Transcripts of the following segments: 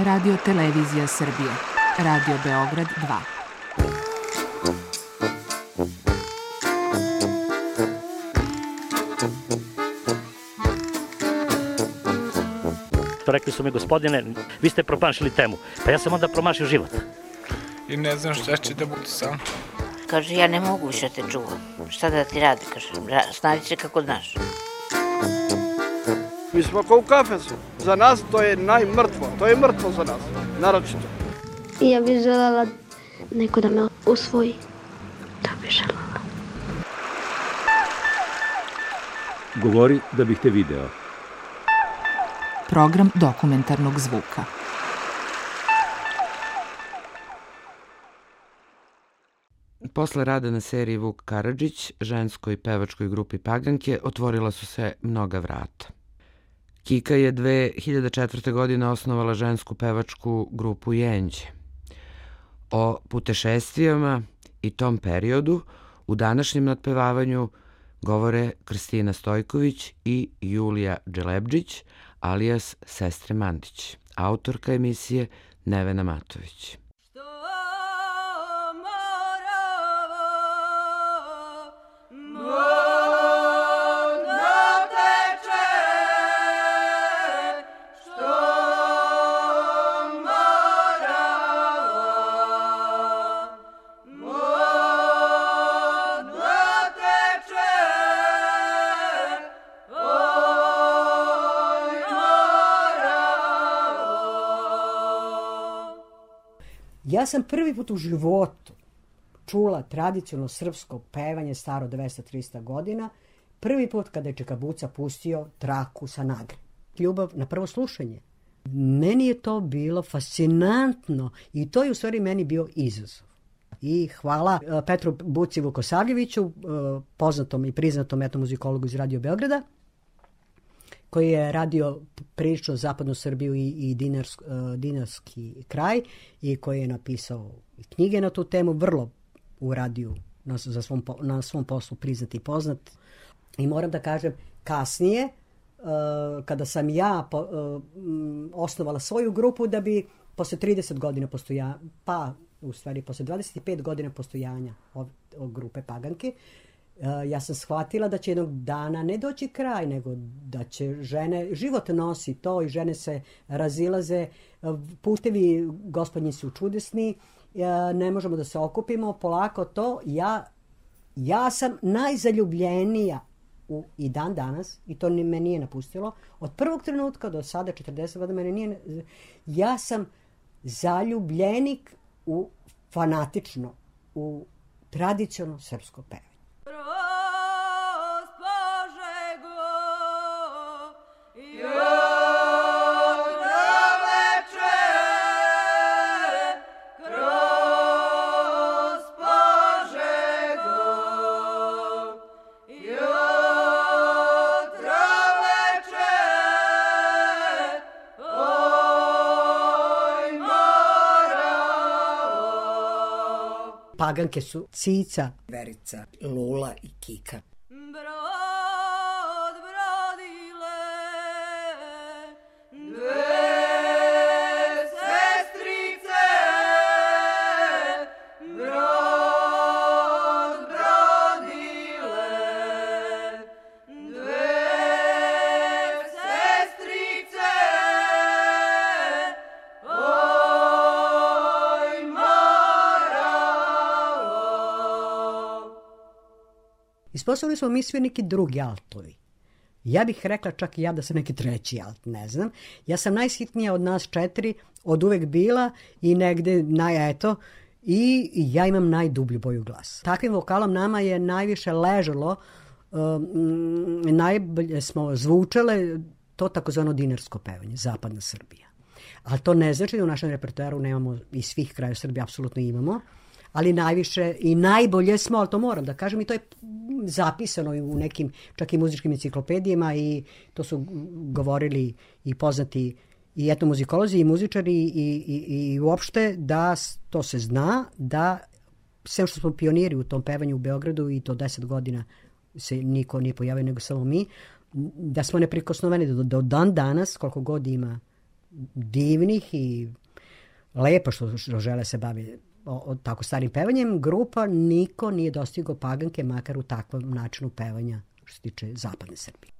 Radio Televizija Srbije. Radio Beograd 2. Rekli su mi, gospodine, vi ste promašili temu. Pa ja sam onda promašio život. I ne znam šta će da bude sam. Kaže, ja ne mogu više te čuvam. Šta da ti radi, kaže, snađi se kako znaš. Mi smo kao u kafesu. Za nas to je najmrtvo. To je mrtvo za nas, naročito. Ja bih želela neko da me usvoji. To bih želela. Govori da bih te video. Program dokumentarnog zvuka. Posle rada na seriji Vuk Karadžić, ženskoj pevačkoj grupi Paganke, otvorila su se mnoga vrata. Kika je 2004. godine osnovala žensku pevačku grupu Jenđe. O putešestvijama i tom periodu u današnjem nadpevavanju govore Kristina Stojković i Julija Dželebdžić, alias Sestre Mandić, autorka emisije Nevena Matović. Ja sam prvi put u životu čula tradicionalno srpsko pevanje staro 200-300 godina, prvi put kada je Čika Buca pustio traku sa Nagre. Ljubav na prvo slušanje. Meni je to bilo fascinantno i to je u stvari meni bio izazov. I hvala Petru Buci Vukosavljeviću, poznatom i priznatom etnomuzikologu iz Radio Beograda, koji je radio prilično zapadnu Srbiju i dinarski kraj i koji je napisao knjige na tu temu, vrlo u radiju na svom poslu priznat i poznat. I moram da kažem, kasnije, kada sam ja osnovala svoju grupu, da bi posle 30 godina postojanja, pa u stvari posle 25 godina postojanja grupe Paganke, ja sam shvatila da će jednog dana ne doći kraj, nego da će žene, život nosi to i žene se razilaze, putevi gospodnji su čudesni, ne možemo da se okupimo, polako to. Ja sam najzaljubljenija i dan danas, i to me nije napustilo, od prvog trenutka do sada, 40 godina, mene nije, ja sam zaljubljenik fanatično u tradicionalno srpsko pevanje. Paganke su Cica, Verica, Lula i Kika. Ispostavili smo mi svi neki drugi altovi. Ja bih rekla čak i ja da sam neki treći alt, ne znam. Ja sam najsitnija od nas 4, od uvek bila i negde i ja imam najdublju boju glasa. Takvim vokalom nama je najviše ležalo, najbolje smo zvučale to takozvano dinarsko pevanje, zapadna Srbija. Ali to ne znači da u našem repertoaru nemamo iz svih kraja Srbije, apsolutno imamo, ali najviše i najbolje smo, ali to moram da kažem, i to je zapisano u nekim čak i muzičkim enciklopedijama i to su govorili i poznati i etnomuzikolozi i muzičari i uopšte da to se zna, da sve što smo pioniri u tom pevanju u Beogradu i to 10 godina se niko nije pojavio nego samo mi, da smo neprikosnoveni do dan danas, koliko god ima divnih i lepo što žele se bavi tako starim pevanjem, grupa niko nije dostigao Paganke, makar u takvom načinu pevanja što se tiče zapadne Srbije.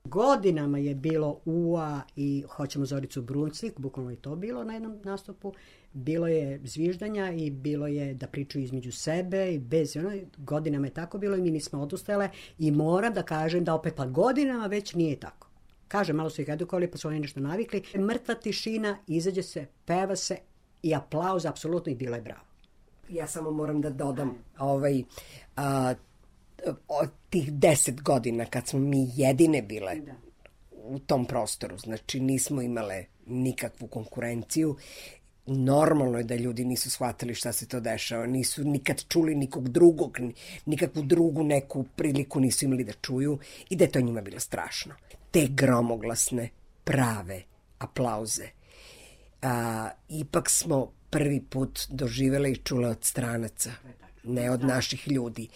Godinama je bilo UA i Hoćemo Zoricu Brunsvik, bukvalno je to bilo na jednom nastupu. Bilo je zviždanja i bilo je da pričaju između sebe i bez godinama je tako bilo i mi nismo odustale i moram da kažem da opet pa godinama već nije tako. Kažem, malo su ih edukovali pa su oni nešto navikli. Mrtva tišina, izađe se, peva se i aplauz apsolutno i bilo je bravo. Ja samo moram da dodam od tih 10 godina kad smo mi jedine bile u tom prostoru, znači nismo imale nikakvu konkurenciju. Normalno je da ljudi nisu shvatili šta se to dešava, nisu nikad čuli nikog drugog, nikakvu drugu neku priliku nisu imali da čuju i da je to njima bilo strašno. Te gromoglasne, prave aplauze. Ipak smo prvi put doživele i čule od stranaca, ne od naših ljudi.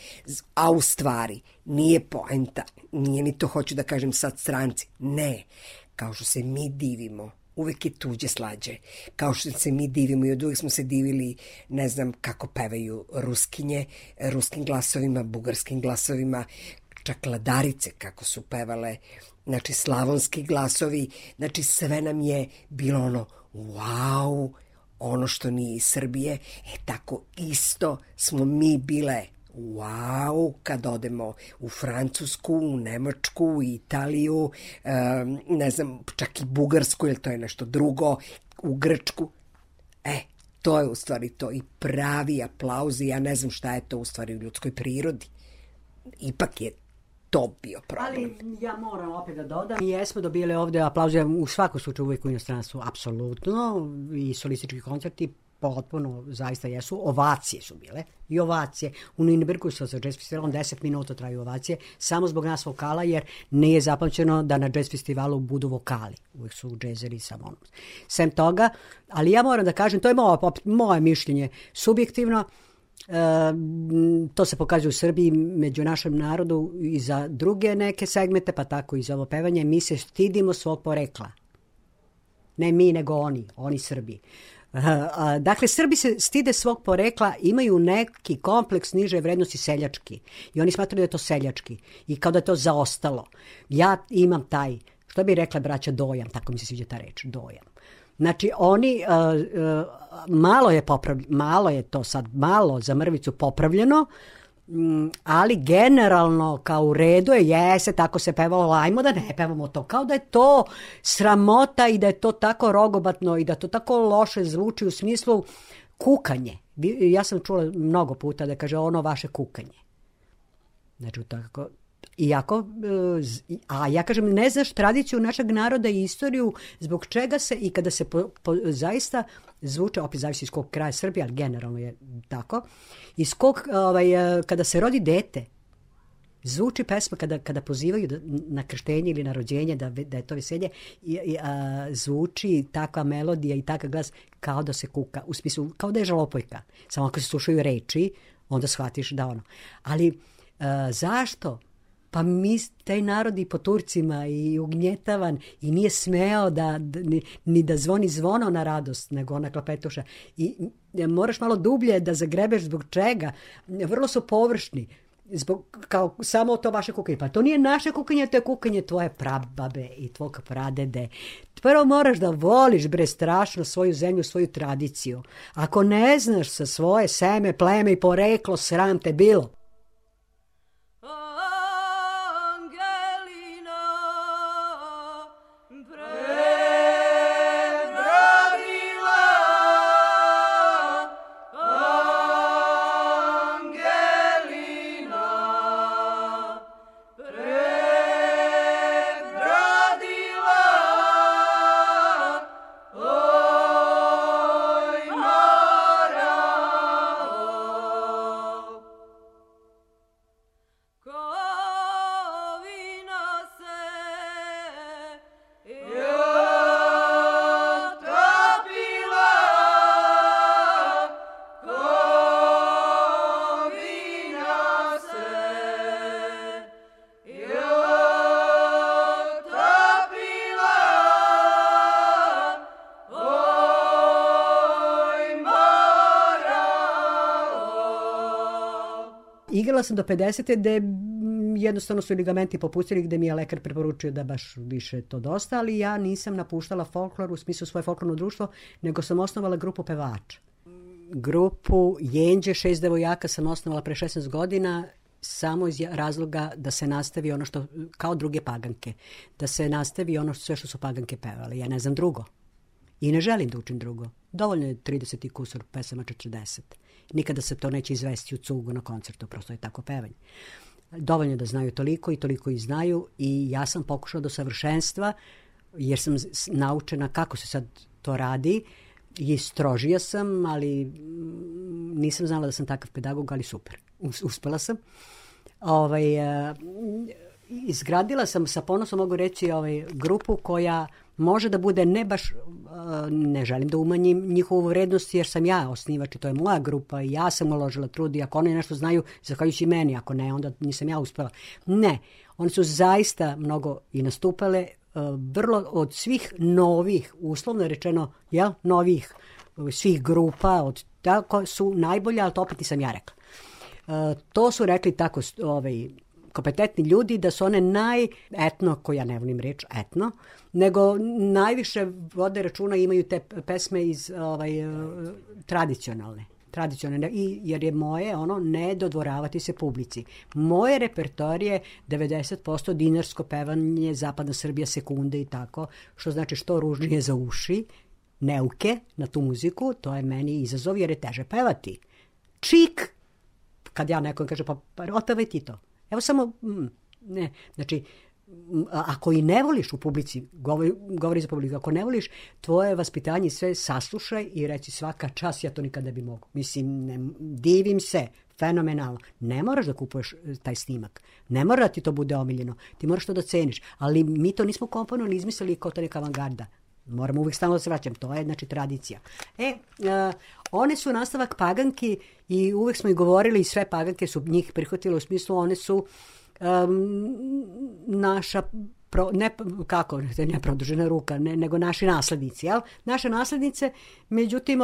A u stvari, nije poenta, nije ni to hoću da kažem sad stranci, ne. Kao što se mi divimo, uvek je tuđe slađe. Kao što se mi divimo i od uvek smo se divili, ne znam kako pevaju ruskinje, ruskim glasovima, bugarskim glasovima, čak ladarice kako su pevale, znači slavonski glasovi, znači sve nam je bilo ono, wow, ono što nije iz Srbije, tako isto smo mi bile, wow, kad odemo u Francusku, u Nemačku, u Italiju, ne znam, čak i Bugarsku, jer to je nešto drugo, u Grčku. To je u stvari to i pravi aplauzi, ja ne znam šta je to u stvari u ljudskoj prirodi. Ipak je to bio problem. Ali ja moram opet da dodam. Mi jesmo dobili ovde aplauze u svakom slučaju uvijek u inostranstvu, apsolutno, i solistički koncerti potpuno zaista jesu. Ovacije su bile i ovacije. U Nürnbergu sa jazz festivalom 10 minuta traju ovacije, samo zbog nas vokala, jer nije zapamćeno da na jazz festivalu budu vokali. Uvijek su džezeri samo ono. Sem toga, ali ja moram da kažem, to je moje mišljenje subjektivno, to se pokazuje u Srbiji među našem narodu i za druge neke segmente, pa tako i za ovo pevanje. Mi se stidimo svog porekla. Ne mi, nego oni Srbi. Dakle, Srbi se stide svog porekla, imaju neki kompleks niže vrednosti seljački i oni smatraju da je to seljački i kao da je to zaostalo. Ja imam taj, što bi rekla braća, dojam, tako mi se sviđa ta reč, dojam. Znači, oni, malo je to sad, malo za mrvicu popravljeno, ali generalno kao u redu jese, tako se pevalo, ajmo da ne pevamo to, kao da je to sramota i da je to tako rogobatno i da to tako loše zvuči u smislu kukanje. Ja sam čula mnogo puta da kaže ono vaše kukanje. Znači, tako... Iako, a ja kažem, ne znaš tradiciju našeg naroda i istoriju, zbog čega se i kada se zaista zvuče, opet zavisi iz kog kraja Srbije, ali generalno je tako, iz kog, kada se rodi dete, zvuči pesma kada pozivaju na krštenje ili na rođenje, da je to veselje, zvuči takva melodija i takav glas kao da se kuka, u smislu, kao da je žalopojka. Samo ako se slušaju reči, onda shvatiš da ono. Ali zašto? Pa mi, taj narod i po Turcima i ugnjetavan i nije smeo ni da zvoni zvono na radost, nego ona klapetuša. I moraš malo dublje da zagrebeš zbog čega. Vrlo su površni. Kao samo to vaše kukanje. Pa to nije naše kukanje, to je kukanje tvoje prababe i tvog pradede. Prvo moraš da voliš, strašno svoju zemlju, svoju tradiciju. Ako ne znaš sa svoje seme, pleme i poreklo, sram te bilo. Oh igrala sam do 50. gde jednostavno su ligamenti popustili, gde mi je lekar preporučio da baš više to dosta, ali ja nisam napuštala folklor u smislu svoje folklorno društvo, nego sam osnovala grupu pevača. Grupu Jenđe, 6 devojaka sam osnovala pre 16 godina, samo iz razloga da se nastavi ono što, kao druge paganke, da se nastavi ono sve što su paganke pevale. Ja ne znam drugo. I ne želim da učim drugo. Dovoljno je 30 i kusur pesama, 40. Nikada se to neće izvesti u cugu na koncertu, prosto je tako pevanje. Dovoljno da znaju toliko i toliko i znaju i ja sam pokušala do savršenstva, jer sam naučena kako se sad to radi i strožija sam, ali nisam znala da sam takav pedagog, ali super. Uspela sam. Izgradila sam, sa ponosom mogu reći, grupu koja može da bude ne baš, ne želim da umanjim njihovu vrednost, jer sam ja osnivač i to je moja grupa i ja sam uložila trud i ako oni nešto znaju, zahvaljujući meni, ako ne, onda nisam ja uspela. Ne, oni su zaista mnogo i nastupale, vrlo od svih novih, uslovno rečeno, novih svih grupa, od tako su najbolja, ali to opet nisam ja rekla. To su rekli tako kompetentni ljudi da su one etno, ko ja ne volim reč etno, nego najviše vode računa, imaju te pesme iz tradicionalne, jer je moje ne dodvoravati se publici. Moje repertoar je 90% dinarsko pevanje, zapadna Srbija, sekunde i tako, što znači što ružnije za uši, neuke na tu muziku, to je meni izazov jer je teže pevati. Čik, kad ja nekom kaže pa otpevaj ti to. Evo samo, ne, znači, ako i ne voliš u publici, govori za publiku, ako ne voliš, tvoje vaspitanje sve saslušaj i reci svaka čast, ja to nikad ne bi mogu. Mislim, divim se, fenomenalno. Ne moraš da kupuješ taj snimak. Ne mora da ti to bude omiljeno. Ti moraš to da ceniš. Ali mi to nismo komponovali, izmislili kao to neka avangarda. Moramo uvijek stalno da se vraćam. To je, znači, tradicija. One su nastavak paganki i uvijek smo i govorili i sve paganke su njih prihvatile u smislu one su naša, ne produžena ruka, nego naši naslednici. Jel? Naše naslednice, međutim,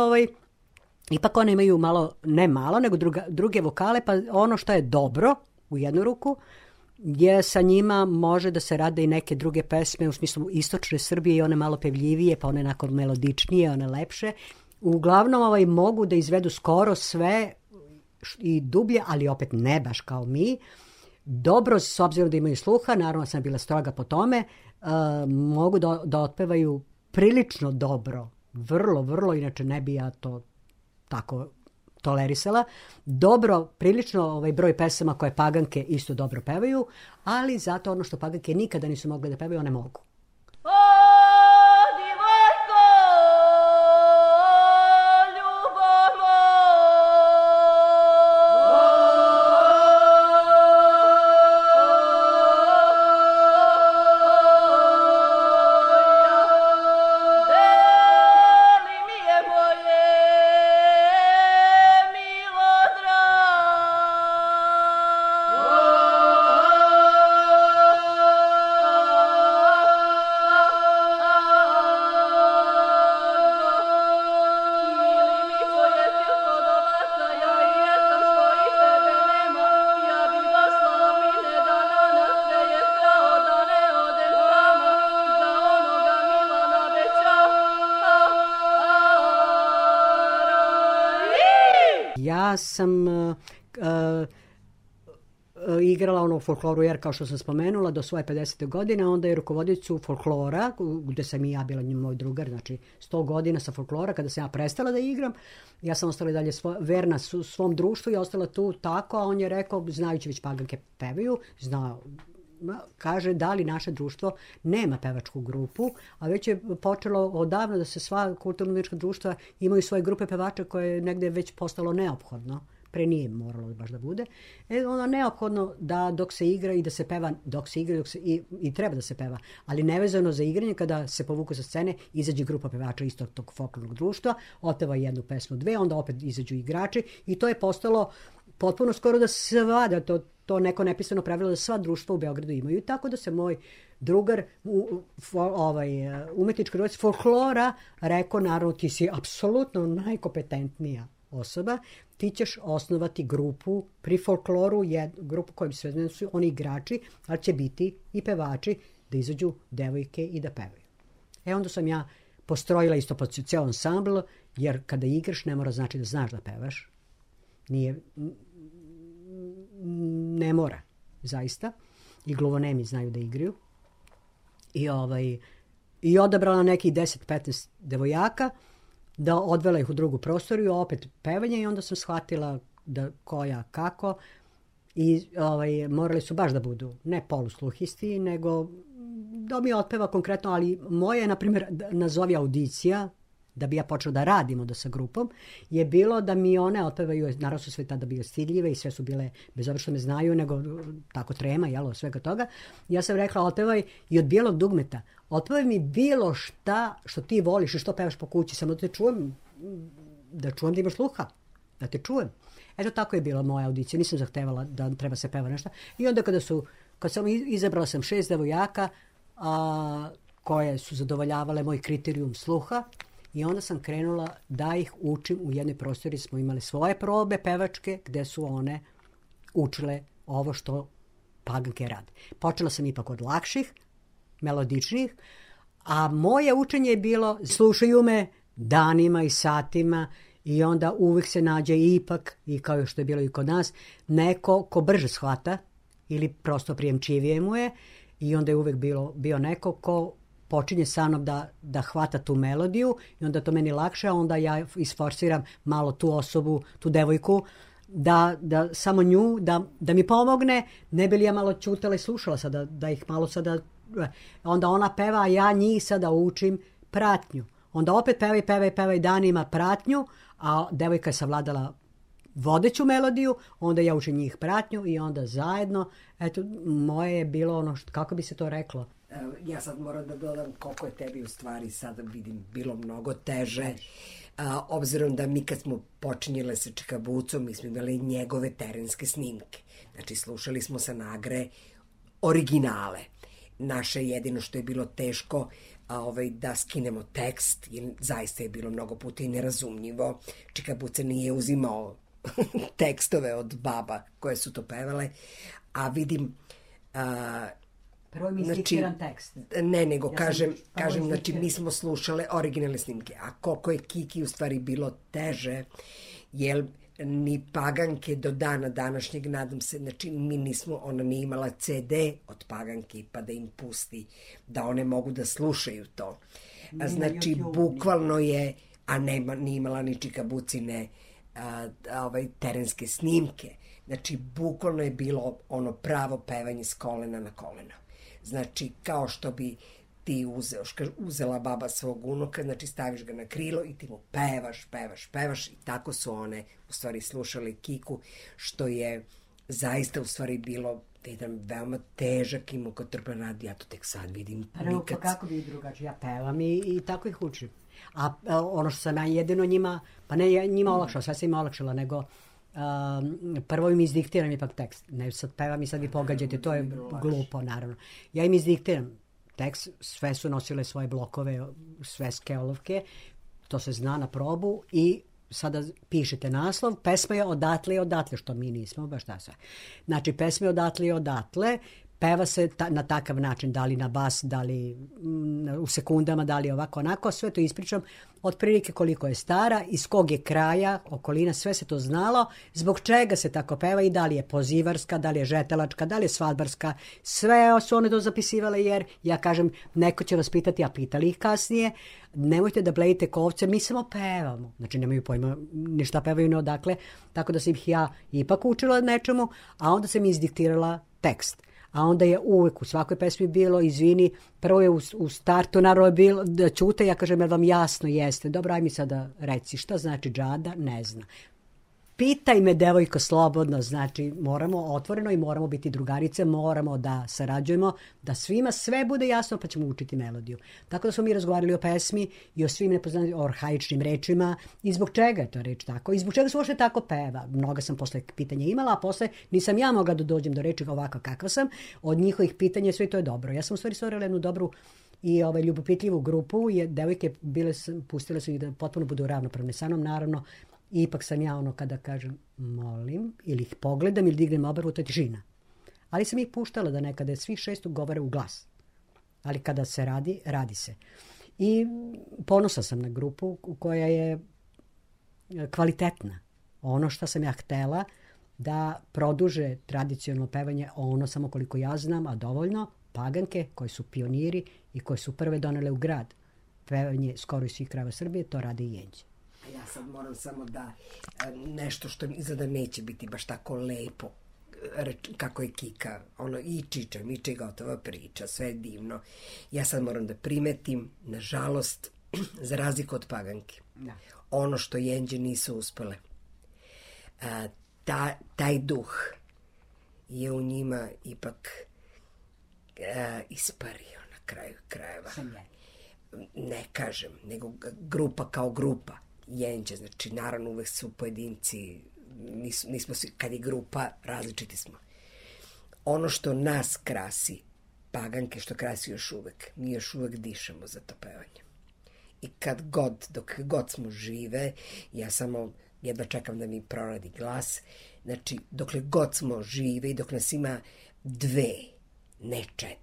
ipak one imaju ne malo, nego druge vokale, pa ono što je dobro u jednu ruku, gdje sa njima može da se rade i neke druge pesme u smislu istočne Srbije i one malo pevljivije, pa one nakon melodičnije, one lepše. Uglavnom mogu da izvedu skoro sve i dublje, ali opet ne baš kao mi. Dobro, s obzirom da imaju sluha, naravno sam bila stroga po tome, mogu da otpevaju prilično dobro, vrlo, inače ne bi ja to tako tolerisala. Dobro, prilično broj pesama koje paganke isto dobro pevaju, ali zato ono što paganke nikada nisu mogle da pevaju, one mogu. Ja sam igrala u folkloru jer, kao što sam spomenula, do svoje 50. godine, onda je rukovodicu folklora, gde sam i ja bila moj drugar, znači 100 godina sa folklora, kada sam ja prestala da igram, ja sam ostala i dalje verna svom društvu i ostala tu tako, a on je rekao, znajući već paganke pevaju, kaže da li naše društvo nema pevačku grupu, a već je počelo odavno da se sva kulturno-umetnička društva imaju svoje grupe pevača koje je negde već postalo neophodno. Pre nije moralo baš da bude. Ono neophodno da dok se igra i da se peva, i treba da se peva, ali nevezano za igranje, kada se povuku sa scene, izađe grupa pevača istog tog folklornog društva, otpeva jednu pesmu, dve, onda opet izađu igrači i to je postalo potpuno skoro da se vada to neko nepisano pravilo da sva društva u Beogradu imaju. I tako da se moj drugar, umetnički drugac folklora, rekao, naravno, ti si apsolutno najkompetentnija osoba, ti ćeš osnovati grupu pri folkloru, grupu kojom sve su oni igrači, ali će biti i pevači da izađu devojke i da pevaju. Onda sam ja postrojila isto po cijel ansambl, jer kada igraš ne mora znači da znaš da pevaš. Ne mora, zaista. I gluvonemi znaju da igraju. I odabrala nekih 10-15 devojaka, da odvela ih u drugu prostoriju, opet pevanje, i onda sam shvatila da koja kako. I morali su baš da budu ne polusluhisti, nego da mi otpeva konkretno, ali moje, na primjer, nazovi audicija, da bi ja počela da radim onda sa grupom, je bilo da mi one otpevaju, naravno su sve tada bile stidljive i sve su bile, bez obzira što me znaju, nego tako trema, jelo, svega toga. Ja sam rekla, otpevaj i od bijelog dugmeta, otpevaj mi bilo šta što ti voliš i što pevaš po kući, samo da te čujem, da imaš sluha, da te čujem. Eto, tako je bila moja audicija, nisam zahtevala da treba se peva nešto. I onda kad sam izabrala sam 6 devojaka koje su zadovoljavale moj kriterijum sluha, i onda sam krenula da ih učim u jednoj prostori. Smo imali svoje probe pevačke gde su one učile ovo što paganke rade. Počela sam ipak od lakših, melodičnih, a moje učenje je bilo, slušaju me danima i satima, i onda uvijek se nađe ipak, i kao što je bilo i kod nas, neko ko brže shvata ili prosto prijemčivije mu je, i onda je uvijek bio neko ko počinje sa mnom da hvata tu melodiju, i onda to meni lakše, a onda ja isforsiram malo tu osobu, tu devojku, da samo nju, da mi pomogne, ne bi li ja malo ćutala i slušala sada, da ih malo sada, onda ona peva, a ja njih sada učim pratnju. Onda opet pevaj danima pratnju, a devojka je savladala vodeću melodiju, onda ja učim njih pratnju i onda zajedno, eto, moje je bilo ono, kako bi se to reklo? Ja sad moram da dodam koliko je tebi u stvari sada vidim bilo mnogo teže. Obzirom da mi kad smo počinjele sa Čikabucom, mi smo imali njegove terenske snimke. Znači slušali smo sa Nagre originale. Naše jedino što je bilo teško da skinemo tekst, jer zaista je bilo mnogo puta i nerazumljivo. Čikabuca nije uzimao tekstove od baba koje su to pevale, a vidim... Prvo mi izdiktiran tekst. Ne, nego kažem, znači mi smo slušale originalne snimke, a koliko je Kiki u stvari bilo teže, jer ni paganke do dana današnjeg, nadam se, znači ona nije imala CD od paganki pa da im pusti, da one mogu da slušaju to. Znači, bukvalno je, a nije imala ni Čikabucine terenske snimke, znači bukvalno je bilo ono pravo pevanje s kolena na koleno. Znači, kao što bi ti uzela baba svog unuka, znači staviš ga na krilo i ti mu pevaš i tako su one u stvari slušali Kiku, što je zaista u stvari bilo jedan veoma težak i mukotrpan rad, ja to tek sad vidim. Prvo, pa kako bi drugačije, ja pevam i tako ih učim. A ono što sam ja jedino njima, pa ne njima olakšala, sve sam im olakšala, nego prvo im izdiktiram ipak tekst. Ne sad pevam i sad vi pogađate, to je glupo, naravno. Ja im izdiktiram tekst, sve su nosile svoje blokove, sveske olovke, to se zna na probu i sada pišete naslov, pesma je odatle i odatle, što mi nismo, baš da sve. Znači, pesma je odatle i odatle, peva se na takav način, da li na bas, da li u sekundama, da li ovako, onako, sve to ispričam, otprilike koliko je stara, iz kog je kraja, okolina, sve se to znalo, zbog čega se tako peva i da li je pozivarska, da li je žetelačka, da li je svadbarska, sve su one to zapisivale, jer ja kažem, neko će vas pitati, a pitali ih kasnije, nemojte da blejite kovce, mi samo pevamo, znači nemaju pojma ni šta pevaju, ni odakle, tako da sam ih ja ipak učila nečemu, a onda sam izdiktirala tekst. A onda je uvek u svakoj pesmi bilo, izvini, prvo je u startu naravno bilo da ćute, ja kažem, jer vam jasno jeste, dobro, aj mi sada reci, šta znači džada, ne zna. Pitaj me, devojko, slobodno, znači moramo otvoreno i moramo biti drugarice, moramo da sarađujemo, da svima sve bude jasno, pa ćemo učiti melodiju. Tako da smo mi razgovarali o pesmi i o svim nepoznatim arhaičnim rečima i zbog čega je to reč tako i zbog čega se uopšte tako peva. Mnoga sam posle pitanja imala, a posle nisam ja mogla da dođem do reči ovako kakva sam. Od njihovih pitanja sve to je dobro. Ja sam u stvari stvorila jednu dobru i ljubopitljivu grupu, devojke pustile su ih da potpuno budu ravnopravne sa mnom, naravno, I ipak sam ja ono kada kažem molim, ili ih pogledam ili dignem obrvu, to je tišina. Ali sam ih puštala da nekada svi 6 govore u glas. Ali kada se radi, radi se. I ponosa sam na grupu koja je kvalitetna. Ono što sam ja htela da produže tradicionalno pevanje, ono samo koliko ja znam, a dovoljno, Paganke koji su pioniri i koji su prve donele u grad pevanje skoro iz svih krajeva Srbije, to rade i Jenđe. Ja sad moram samo da nešto što izgleda neće biti baš tako lepo, kako je Kika, ono i Miče gotova priča, sve je divno. Ja sad moram da primetim, nažalost, za razliku od Paganke, ono što Jenđe nisu uspele. Taj duh je u njima ipak ispario na kraju krajeva. Ne kažem, nego grupa kao grupa. Jenđe, znači naravno uvek su pojedinci, nismo svi, kad je grupa, različiti smo. Ono što nas krasi, Paganke što krasi još uvek, mi još uvek dišemo za to pevanje. I dok god smo žive, ja samo jedva čekam da mi proradi glas, znači dokle god smo žive i dok nas ima 2, ne 4.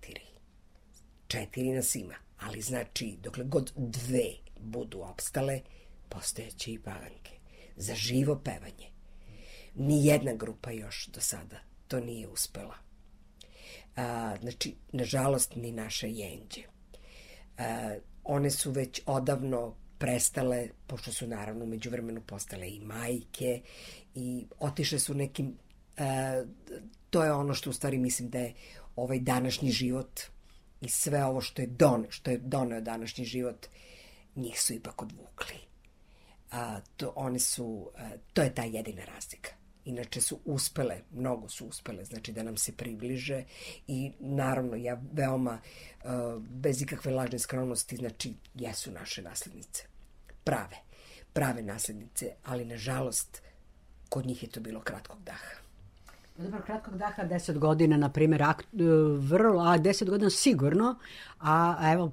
4 nas ima, ali znači dokle god 2 budu opstale, postojeće i Paganke. Za živo pevanje. Nijedna grupa još do sada to nije uspela. Znači, nažalost, ni naše Jenđe. One su već odavno prestale, pošto su naravno među vremenu postale i majke i otišle su nekim, to je ono što u stvari mislim da je ovaj današnji život i sve ovo što je doneo današnji život, njih su ipak odvukli. To je ta jedina razlika. Inače su uspele, mnogo su uspele, znači da nam se približe i naravno ja veoma, bez ikakve lažne skromnosti, znači jesu naše naslednice. Prave naslednice, ali nažalost kod njih je to bilo kratkog daha. Dobro, kratkog daha, 10 godina, na primjer, 10 godina sigurno, a evo,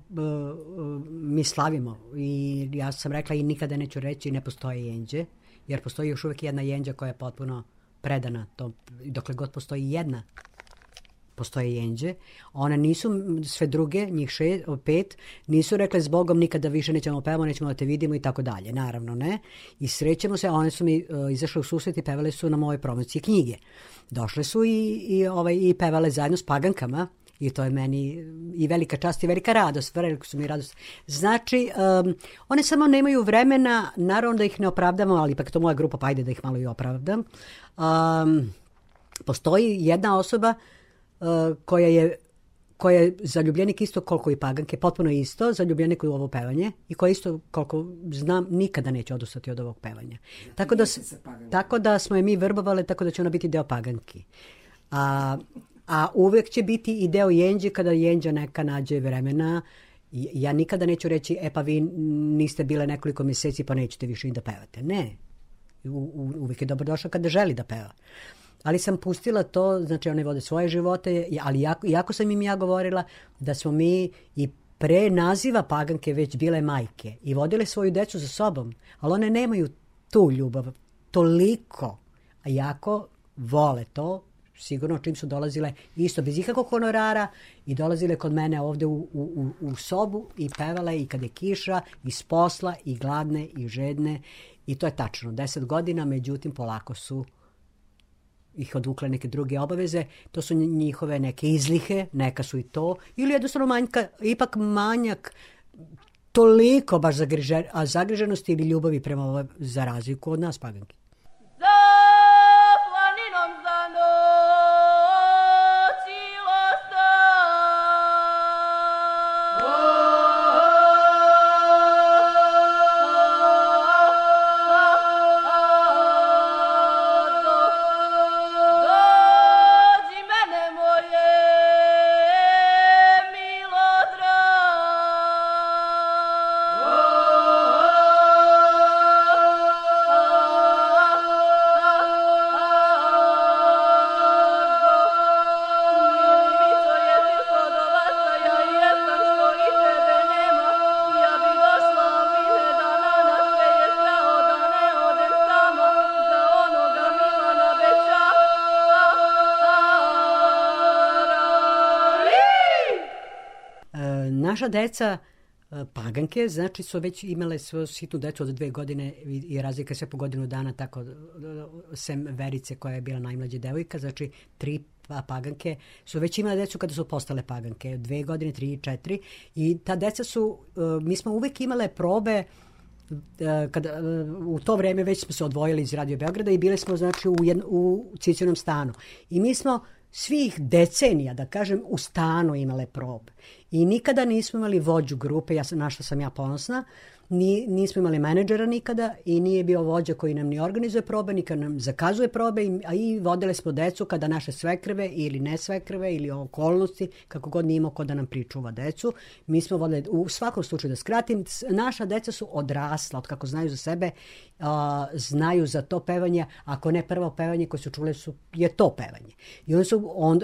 mi slavimo i ja sam rekla i nikada neću reći ne postoje Jenđe, jer postoji još uvijek jedna Jenđa koja je potpuno predana tom, dokle god postoji jedna, postoje Jenđe. One nisu, sve druge, njih 5, nisu rekle s Bogom nikada više nećemo pevamo, nećemo da te vidimo i tako dalje. Naravno, ne. I srećemo se, one su mi izašle u susret i pevale su na mojoj promociji knjige. Došle su i pevale zajedno s Pagankama i to je meni i velika čast i velika radost. Velika su mi radost. Znači, one samo nemaju vremena, naravno da ih ne opravdamo, ali ipak to moja grupa, pa ajde da ih malo i opravdam. Postoji jedna osoba koja je zaljubljenik isto koliko i Paganke, potpuno isto, zaljubljenik u ovo pevanje i koja isto, koliko znam, nikada neće odustati od ovog pevanja. Tako da smo je mi vrbovali, tako da će ona biti deo Paganki. A uvek će biti i deo Jenđe kada Jenđa neka nađe vremena. Ja nikada neću reći, pa vi niste bile nekoliko mjeseci pa nećete više i da pevate. Ne. Uvijek je dobrodošla kada želi da peva. Ali sam pustila to, znači one vode svoje živote, ali jako sam im ja govorila da smo mi i pre naziva Paganke već bile majke i vodile svoju decu za sobom, ali one nemaju tu ljubav toliko, a jako vole to, sigurno čim su dolazile isto bez ikakvog honorara i dolazile kod mene ovde u sobu i pevale i kad je kiša, i s posla, i gladne, i žedne i to je tačno, 10 godina, međutim polako su ih odvukle neke druge obaveze, to su njihove neke izlihe, neka su i to, ili jednostavno ipak manjak toliko baš zagriženosti ili ljubavi prema ovoj za razliku od nas Paganki. Oh naša deca Paganke, znači su već imale svoju sitnu decu od 2 godine i razlika sve po godinu dana, tako sem Verice koja je bila najmlađa devojka, znači 3 Paganke su već imale decu kada su postale Paganke, 2 godine, 3, 4 i ta deca su, mi smo uvek imale probe kada, u to vreme već smo se odvojili iz Radio Beograda i bile smo znači u Cicinom stanu i mi smo svih decenija, da kažem, u stanu imale probe. I nikada nismo imali vođu grupe, na što sam ja ponosna, nismo imali menadžera nikada i nije bio vođa koji nam ni organizuje probe, ni kad nam zakazuje probe, a i vodile smo decu kada naše svekrve ili ne svekrve ili okolnosti, kako god nije imao ko da nam pričuva decu. Mi smo vodili, u svakom slučaju da skratim, naša deca su odrasla, od kako znaju za sebe, znaju za to pevanje, ako ne prvo pevanje koje su čule je to pevanje. I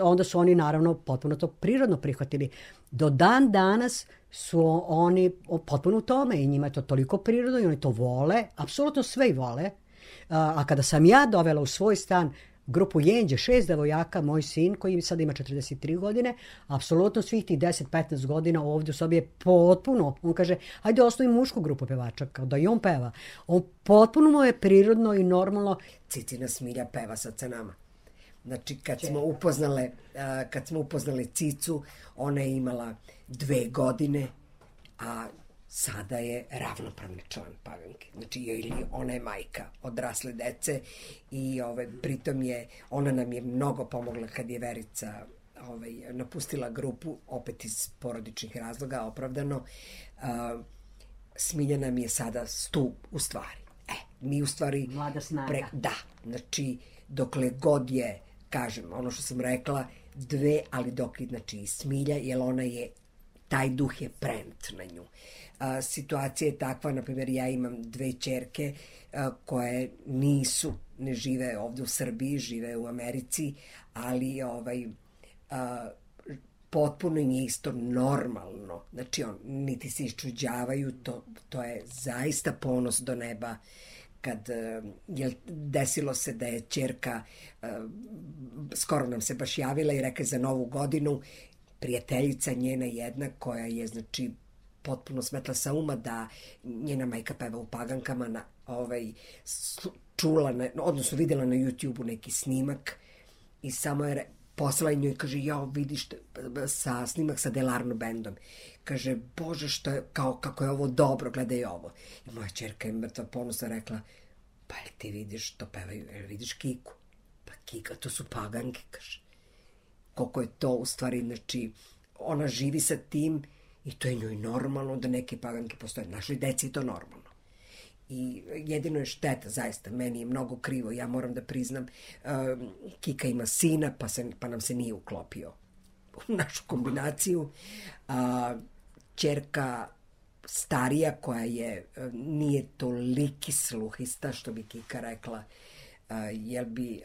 onda su oni naravno potpuno to prirodno prihvatili. Do dan danas su oni potpuno u tome i njima je to toliko prirodno i oni to vole, apsolutno sve i vole. A kada sam ja dovela u svoj stan grupu Jenđe, 6 devojaka, moj sin koji sad ima 43 godine, apsolutno svih tih 10-15 godina ovdje u sobi je potpuno, on kaže, ajde osnovi mušku grupu pevača, kao da i on peva. On potpuno mu je prirodno i normalno. Cicina Smilja peva sad sa nama. Znači, kad smo upoznali Cicu, ona je imala 2 godine, a sada je ravnopravni član Paganke. Znači, ona je majka odrasle dece i pritom ona nam je mnogo pomogla kad je Verica napustila grupu, opet iz porodičnih razloga, opravdano. Smilja nam je sada stup u stvari. Mi u stvari... Mlada snaga. Da, znači, dokle god je, kažem, ono što sam rekla, 2, ali dok je, znači, Smilja, jer ona je, taj duh je prenet na nju. Situacija je takva, na primjer, ja imam 2 ćerke koje ne žive ovde u Srbiji, žive u Americi, ali potpuno im je isto normalno. Znači, niti se iščuđavaju, to je zaista ponos do neba. Kad desilo se da je ćerka, skoro nam se baš javila i rekla za Novu godinu, prijateljica njena jedna koja je, znači, potpuno smetla sa uma da njena majka peva u Pagankama, čula, odnosno vidjela na YouTube-u neki snimak i samo je poslala njoj i kaže, vidiš snimak sa Delarno bendom. Kaže, Bože, kako je ovo dobro, gledaj ovo. I moja ćerka je mrtva ponosna rekla, pa jel ti vidiš to pevaju, jel vidiš Kiku? Pa Kika, to su Paganke, kaže. Koliko je to u stvari, znači, ona živi sa tim i to je njoj normalno da neke Paganke postoje. Našoj deci je to normalno. I jedino je šteta, zaista, meni je mnogo krivo, ja moram da priznam, Kika ima sina, pa nam se nije uklopio u našu kombinaciju. Ćerka starija koja nije toliki sluhista, što bi Kika rekla, jer bi,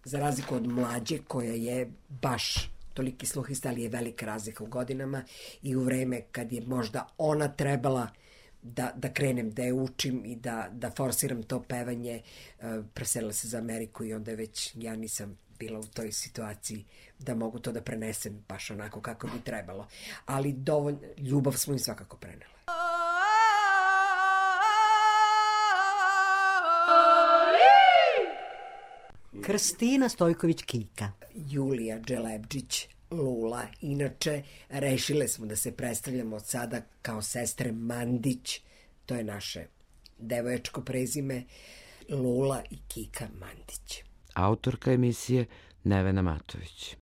za razliku od mlađe koja je baš toliki sluhista, ali je velika razlika u godinama i u vreme kad je možda ona trebala da krenem, da je učim i da forsiram to pevanje, preselila se za Ameriku i onda već ja nisam bila u toj situaciji da mogu to da prenesem baš onako kako bi trebalo. Ali dovoljno, ljubav smo im svakako prenela. Krstina Stojković Kika. Julija Dželebđić Lula. Inače, rešile smo da se predstavljamo od sada kao sestre Mandić. To je naše devojačko prezime. Lula i Kika Mandić. Autorka emisije Nevena Matović.